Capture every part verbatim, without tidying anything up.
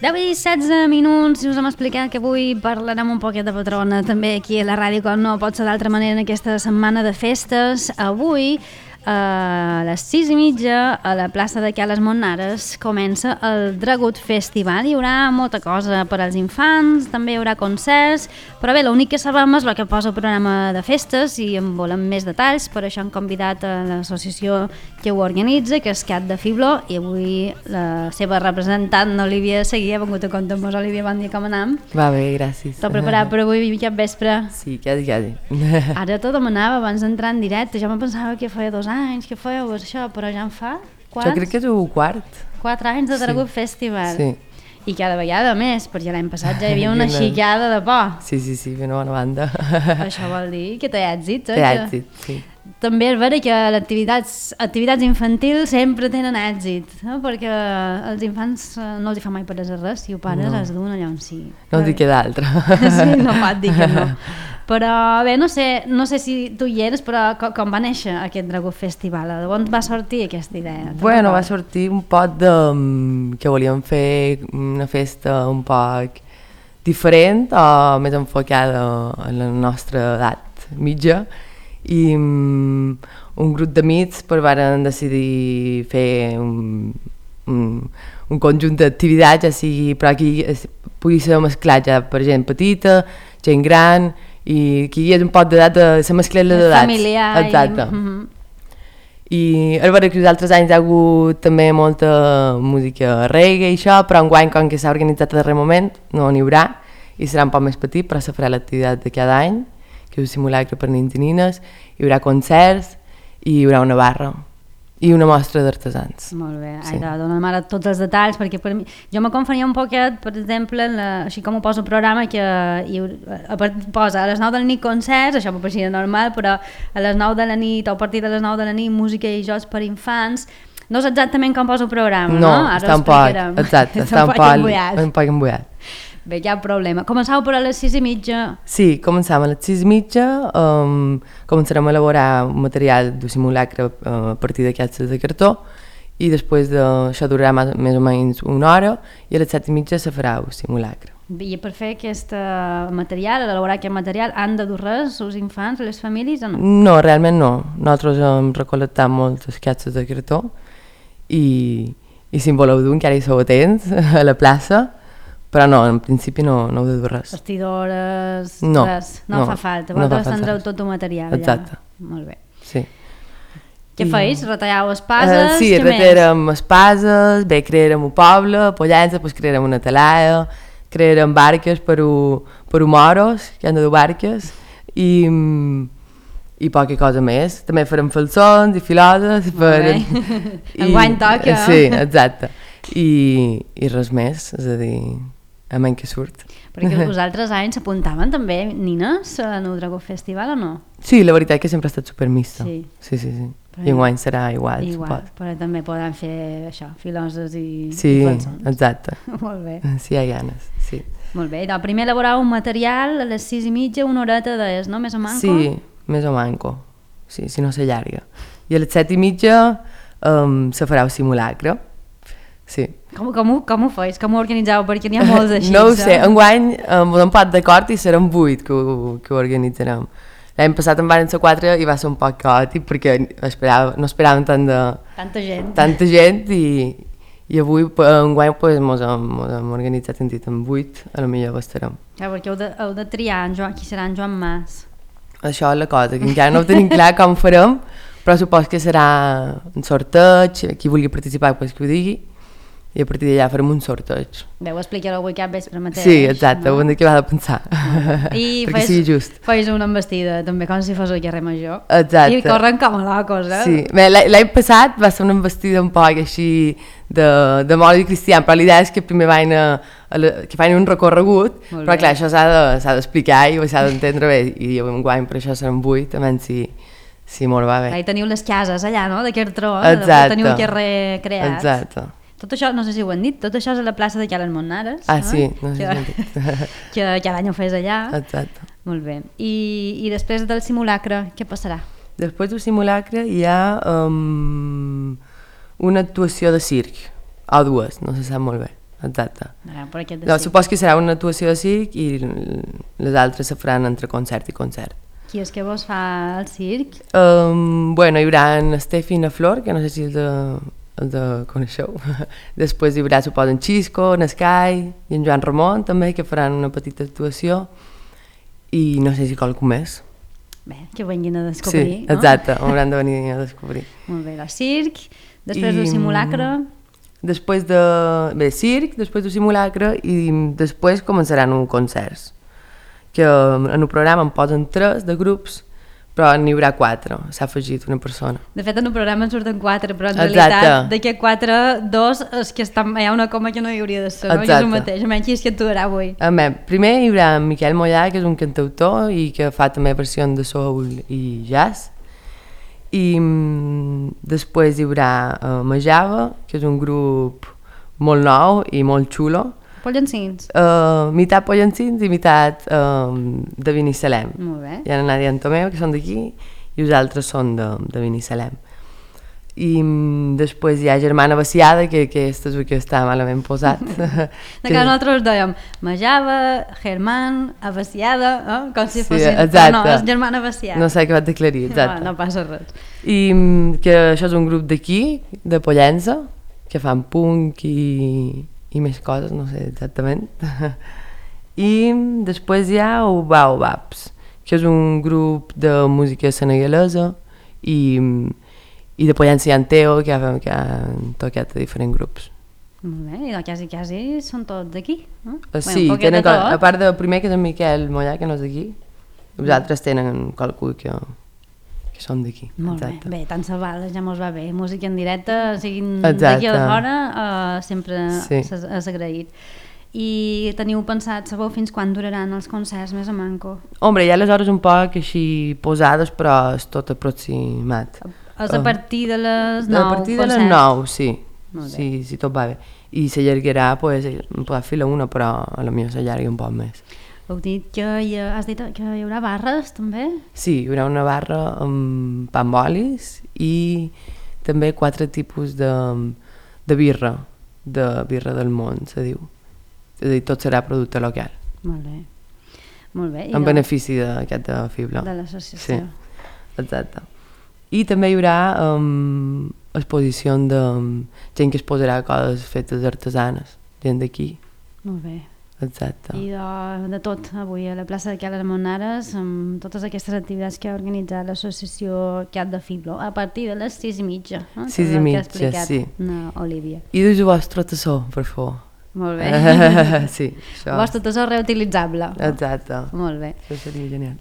deu i setze minuts i us hem explicat que avui parlarem un poquet de patrona també aquí a la ràdio, com no pot ser d'altra manera en aquesta setmana de festes. Avui a les sis i mitja a la plaça de Cales Montnares comença el Dragut Festival. Hi haurà molta cosa per als infants, també hi haurà concerts, però bé, l'únic que sabem és el que posa el programa de festes i en volem més detalls, per això hem convidat a l'associació que ho organitza, que és Cat de Fibló, i avui la seva representant, Olivia Seguí, ha vingut a compte amb vos. Olivia, bon dia, com anem? Va bé, gràcies. Tot preparat per avui, cap vespre? Sí, quasi, quasi. Ara tot demanava abans d'entrar en directe, jo me pensava que feia dos anys que fèieu això, però ja en fa quants? Jo crec que és el quart. Quatre anys de Dragut sí. Festival. Sí. I cada vegada més, perquè l'any passat ja hi havia una xicada de por. Sí, sí, sí, una bona banda. Això vol dir que té èxit, eh? Té èxit, sí. També és vera que les activitats, activitats infantils sempre tenen èxit, no? Perquè els infants no els hi fa mai per res, si ho pares no. Els duen allà on sí. No els hi queda altra. Sí, no pot dir que no. Però bé, no sé, no sé si tu hi eres, però com, com va néixer aquest Dragut Festival? D'on va sortir aquesta idea? Bueno, va sortir un poc de... que volíem fer una festa un poc diferent o més enfocada a la nostra edat mitja, i um, un grup d'amics pues, van decidir fer un, un, un conjunt d'activitats, ja sigui, però aquí pugui ser mesclat ja per gent petita, gent gran, i aquí hi ha un poc d'edat de la mescleta d'edats. Familiar. Exacte. I, uh-huh. I és vera que els altres anys hi ha hagut també molta música reggae i això, però enguany, com que s'ha organitzat a darrer moment, no n'hi haurà, i serà un poc més petit, però se farà l'activitat de cada any, que és un simulacre per nins i nines, hi haurà concerts i hi haurà una barra i una mostra d'artesans. Molt bé, sí. Ai, dona'm ara tots els detalls, perquè per mi, jo me confonia un poquet, per exemple, la, així com ho posa el programa, que hi, a part, posa a les nou de la nit concerts, això m'ho pareixia normal, però a les nou de la nit o a partir de les nou de la nit música i jocs per infants. No és exactament com posa el programa, no? No, ara està un poc, exacte, està un poc embullat. Un poc embullat. Bé, hi ha problema. Començau per a les sis i mitja? Sí, començam a les sis i mitja, um, començarem a elaborar un material de simulacre uh, a partir de caixes de cartó, i després d'això durarà més o menys una hora, i a les set i mitja se farà el simulacre. I per fer aquest material, elaborar aquest material, han de dur res els infants, les famílies o no? No, realment no. Nosaltres hem recol·lectat moltes caixes de cartó, i, i si en voleu dur encara hi sou atents a la plaça, però no, en principi no, no heu de dur res. Vestidores, no, res, no, no fa falta. Vosaltres no tindreu tot el material. Exacte. Ja. Molt bé. Sí. Què I... feis? Retalleu espases? Uh, sí, retallem espases, bé, crearem un poble, a Pollença, pues crearem una talada, crearem barques per a, per a moros, que han de dur barques, i, i poca cosa més. També farem falsons i filoses. Per... Enguany toca. Sí, exacte. I, i res més, és a dir, a menys que surt. Perquè els altres anys s'apuntaven també nines en el Dragut Festival o no? Sí, la veritat és que sempre ha estat supermista. Sí. Sí, sí, sí. Però I enguany serà igual, igual, supos. Però també poden fer això, filoses i, sí, i falsons. Sí, exacte. Molt bé. Sí, hi ha ganes, sí. Molt bé, doncs primer elaborar un material a les sis i mitja, una horeta d'es, no? Més o manco? Sí, més o manco, sí, si no s'allarga. I a les set i mitja um, se farà el simulacre. Sí. Com, com, ho, com ho feis? Com ho organitzeu? Perquè n'hi ha molts així. No ho sé, enguany um, hem posat d'acord i serem vuit que ho, que ho organitzarem. L'any passat en van ser quatre i va ser un poc caòtic perquè esperava, no esperàvem tant de... Tanta gent. Tanta gent i, i avui enguany pues, mos, hem, mos hem organitzat en dit amb vuit, a lo millor estarem. Ja, perquè heu de, heu de triar en Joan, qui serà en Joan Mas. Això és la cosa, que encara no ho tenim clar com farem, però supos que serà un sorteig, qui vulgui participar pues, que ho digui, i a partir d'allà farem un sorteig. Bé, ho explicareu avui cap vespre mateix. Sí, exacte, no? Ho hem de acabar de pensar, I perquè fes, sigui just. Feis una embestida, també, com si fos el carrer Major. Exacte. I corren com a locos, eh? Sí, bé, l'any passat va ser una embestida un poc així de, de mòbil cristian, però l'idea és que primer van a, a la, que fan un recorregut, molt però bé. Clar, això s'ha de, s'ha d'explicar i s'ha d'entendre bé, i enguany per això seran vuit, a menys si Sí, molt va bé. Ahí teniu les cases allà, no?, d'aquest tro, Exacte. teniu un carrer creat. Exacte. Tot això, no sé si ho han dit, tot això és a la plaça de Cales Montnares. Ah, no? sí, no sé si que, ho han dit. que cada any ho fes allà. Exacte. Molt bé. I, I després del simulacre, què passarà? Després del simulacre hi ha um, una actuació de circ, o dues, no se sap molt bé, exacte. Ah, per aquest de No, circ. supos que serà una actuació de circ i les altres se faran entre concert i concert. Qui és que vos fa el circ? Um, bueno, hi haurà en Estefi i na Flor, que no sé si el de, el de coneixeu. Després hi haurà, suposo, en Xisco, en Sky i en Joan Ramon també, que faran una petita actuació. I no sé si qualcú més. Bé, que venguin a descobrir, Sí, no? exacte, hauran de venir a descobrir. Molt bé, el circ, després I, del simulacre... Després de... Bé, circ, després del simulacre i després començaran uns concerts. Que en el programa en posen tres de grups, però n'hi haurà quatre, s'ha afegit una persona. De fet, en el programa en surten quatre, però en Exacte. realitat d'aquests quatre, dos és que estan, hi ha una coma que no hi hauria de ser, no? I és el Exacte. mateix, almenys qui és que actuarà avui. A més, primer hi haurà en Miquel Mollà, que és un cantautor i que fa també versions de soul i jazz. I mm, després hi haurà uh, Majava, que és un grup molt nou i molt xulo. Pollancins. Uh, mitat pollancins i mitat uh, de Binissalem. Molt bé. Hi ha la Nàdia Antomeu, que són d'aquí, i els altres són de, de Binissalem. I mm, després hi ha Germana Baciada, que, que aquest és el que està malament posat. De que nosaltres dèiem Majava, Germán, Abaciada, eh? Com si Sí, fossin... exacte. Però no, és Germana Baciada. No sé què vaig aclarir, exacte. No, no passa res. I mm, que això és un grup d'aquí, de Pollença, que fan punk i, i més coses, no sé exactament. I després hi ha el Baobabs, que és un grup de música senegalesa i, i de Pollença hi ha en Teo, que ha, que han tocat a diferents grups. Molt bé, i no, quasi, quasi són tots d'aquí, no? Uh, sí, un poquet tenen, de tot. a part del primer, que és en Miquel Mollà, que no és d'aquí, els altres tenen qualcú que, que són d'aquí. Molt Exacte. bé, bé, tant se val, ja mos va bé. Música en directe, siguin Exacte. d'aquí a de fora, uh, sempre Sí. és, és agraït. I teniu pensat, sabeu fins quan duraran els concerts més a manco? Hombre, hi ha les hores un poc així posades, però és tot aproximat. És a partir de les A nou partir de les concerts? nou, sí. Molt bé. Sí, sí, tot va bé. I s'allargarà, pues, em podrà fer la una, però a la millor s'allarga un poc més. Heu dit que hi ha, has dit que hi haurà barres, també? Sí, hi haurà una barra amb pa amb olis i també quatre tipus de, de birra, de birra del món, se diu. És a dir, tot serà producte local, Molt bé. Molt bé. I en de- benefici d'aquest fibla. de l'associació. Sí, exacte. I també hi haurà um, exposició de um, gent que es posarà coses fetes artesanes, gent d'aquí, Molt bé. exacte. I de, de tot, avui a la plaça de Cales Montnares, amb totes aquestes activitats que ha organitzat l'associació Cat de Fiblo, a partir de les sis i mitja. No? Sis Que és i el que ha mitja, explicat sí. na Olivia. I dus el vostre tassó, per favor. Molt bé. Sí, això. El vostre tassó reutilitzable. Exacte. Molt bé. Això seria genial.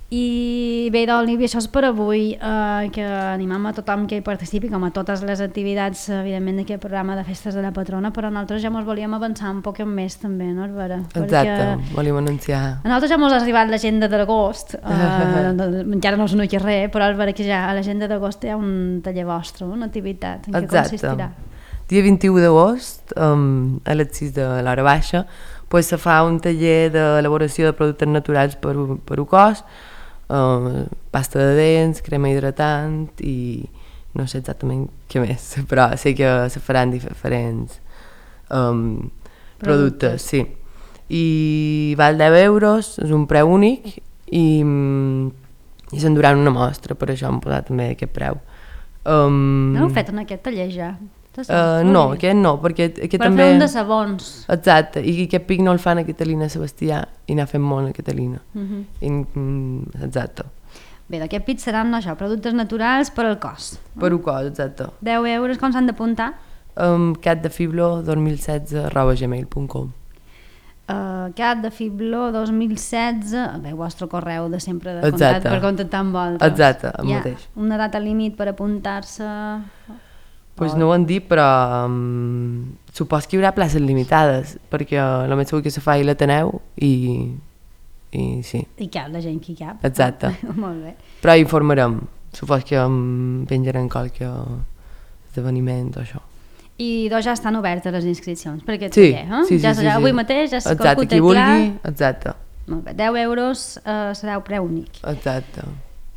I bé, Olivia, això és per avui, eh, que animem a tothom que hi participi, com a totes les activitats, evidentment, d'aquest programa de festes de la patrona, però nosaltres ja mos volíem avançar un poc més també, no, Albera? Exacte, volíem anunciar. A nosaltres ja mos ha arribat l'agenda d'agost, eh, encara no us no hi ha res, però Albera, que ja a l'agenda d'agost hi ha un taller vostre, una activitat, en què Exacte. consistirà? Dia vint-i-u d'agost, um, a les sis de l'hora baixa, pues, se fa un taller d'elaboració de productes naturals per, per un cos, uh, pasta de dents, crema hidratant i no sé exactament què més, però sé que se faran diferents um, productes, Productes. sí. I val deu euros, és un preu únic i, i s'enduran una mostra, per això hem posat també aquest preu. Um, No heu fet en aquest taller ja? Uh, no, aquest no, perquè aquest per també... fer un de sabons. Exacte, i aquest pic no el fan a Catalina Sebastià i n'ha fet molt a Catalina. Uh -huh. I, mm, exacte, Bé, d'aquest pit seran això, productes naturals per al cos. per un cos, exacte. deu euros, com s'han d'apuntar? Um, catdefiblo dos mil setze arroba gmail punt com. Uh, cat de Fiblo dos mil setze, bé, el vostre correu de sempre de Exacte. contacte per contactar amb vosaltres. Exacte, el Hi ha mateix. una data límit per apuntar-se? Pues no ho han dit, però um, supos que hi haurà places limitades, perquè el més segur que se fa a l'Ateneu i, i sí, I cap, la gent que hi cap. exacte. Molt bé. Però informarem, supos que em penjarem qualque esdeveniment o això. I doncs ja estan obertes les inscripcions per aquest Sí, taller, eh? sí, sí, ja sí, serà sí. avui mateix, ja s'ha Exacte, calcut qui clar. vulgui, exacte. Molt bé, deu euros eh, serà el preu únic. Exacte.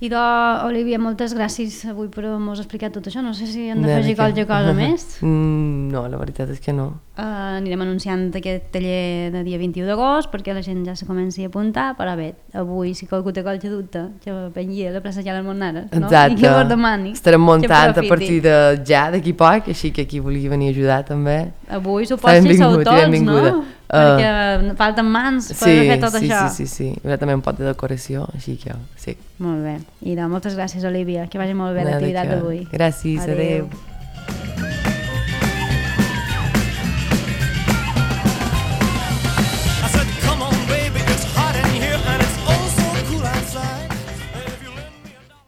I de, Olivia, moltes gràcies avui per haver-nos explicat tot això. No sé si hem De d'afegir què? qualque cosa més. Mm, no, la veritat és que no. Uh, anirem anunciant aquest taller de dia vint-i-u d'agost perquè la gent ja se comenci a apuntar, però bé, avui si qualcú té qualque dubte que vengui a la plaça Ja les Monares, no? Exacte. I que vos demani. Estarem muntant que a partir de ja, d'aquí poc, així que qui vulgui venir a ajudar també. Avui suposo que sou tots, no? Uh, perquè falten mans per sí, fer tot sí, això. Sí, sí, sí. Hi haurà també un pot de decoració, així que sí. Molt bé. I de, moltes gràcies, Olivia. Que vagi molt bé l'activitat d'avui. Gràcies, adeu. adeu.